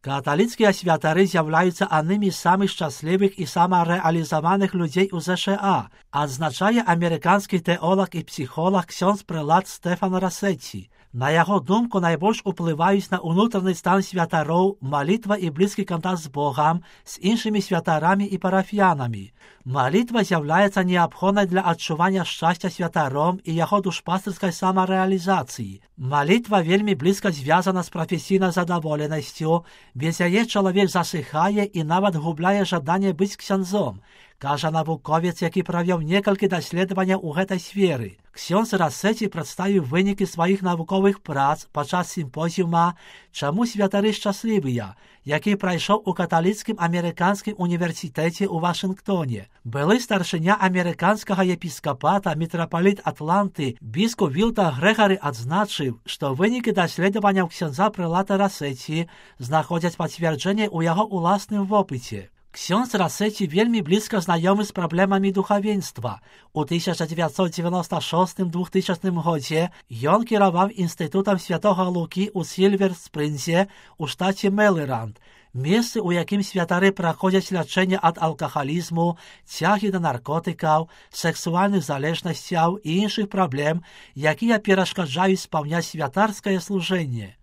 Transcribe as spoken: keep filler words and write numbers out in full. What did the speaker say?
Каталіцкія святары з'яўляюцца аднымі з самых шчаслівых і самарэалізаваных людзей у ЗША, адзначае амерыканскі тэолог і псіхолог ксёндз прэлат Стэфан Рассеці. На яго думку, найбольш уплываюць на ўнутраны стан святароў малітва і блізкі кантакт з Богам, з іншымі святарамі і парафіянамі. Малітва з'яўляецца неабходнай для адчування шчасця святаром і яго душпастырскай самарэалізацыі. Малітва вельмі блізка звязана з прафесійнай задаволенасцю, без яе чалавек засыхае і нават губляе жаданне быць ксяндзом, кажа навуковец, які правёў некалькі даследаванняў у гэтай сферы. Ксёндз Рассеці прадставіў вынікі сваіх навуковых прац падчас сімпозіума «Чаму святары шчаслівыя», які прайшоў у каталіцкім амерыканскім універсітэце ў Вашынгтоне. Былы старшыня амерыканскага епіскапата мітрапаліт Атланты біскуп Вілтан Грэгары адзначыў, што вынікі даследаванняў ксяндза прэлата Рассеці знаходзяць пацверджэнне ў яго ўласным вопыце. Ксёндз Рассеці вельмі блізка знаёмы з праблемамі духавенства. У тысяча дзевяцьсот дзевяноста шостым - двухтысячным годзе ён кіраваў інстытутам святога Лукі ў Сільвер-Спрынзе у штаце Мэрыланд, месцы, у якім святары праходзяць лячэнне ад алкагалізму, цягі да наркотыкаў, сексуальных залежнасцяў і іншых праблем, якія перашкаджаюць спаўняць святарскае служэнне.